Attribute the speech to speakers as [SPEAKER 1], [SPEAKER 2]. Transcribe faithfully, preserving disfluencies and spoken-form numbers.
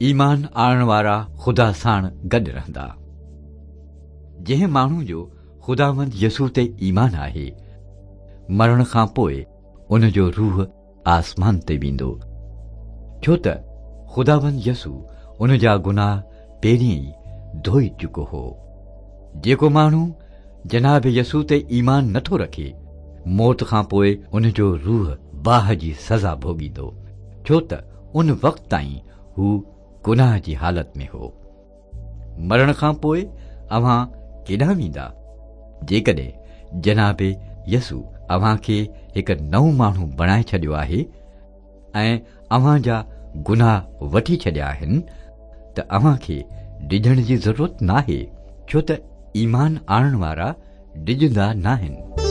[SPEAKER 1] ايمان آڻڻ وارا خدا ساڻ گڏ رهندا. جنهن ماڻهو جو خداوند يسوع تي ايمان آهي، مرڻ کان پوءِ ان جو روح آسمان تي ويندو، ڇو ته خداوند يسوع ان جا گناهه پهرين ئي ڌوئي چڪو هو. جيڪو ماڻهو جناب يسوع تي ايمان نٿو رکي، موت کان پوءِ ان جو روح باهه جي سزا ڀوڳيندو، ڇو ته ان وقت تائين هو گناهه جي حالت ۾ هو. مرڻ کان پوءِ اوهان ڪيڏانهن ويندا؟ جيڪڏهن جناب يسوع اوهان کي هڪ نئون ماڻهو بڻائي ڇڏيو آهي ۽ اوهان جا گناهه وٺي ڇڏيا آهن، ته اوهان کي ڊڄڻ جي ضرورت ناهي، ڇو ته ايمان آڻڻ وارا ڊڄندا ناهن.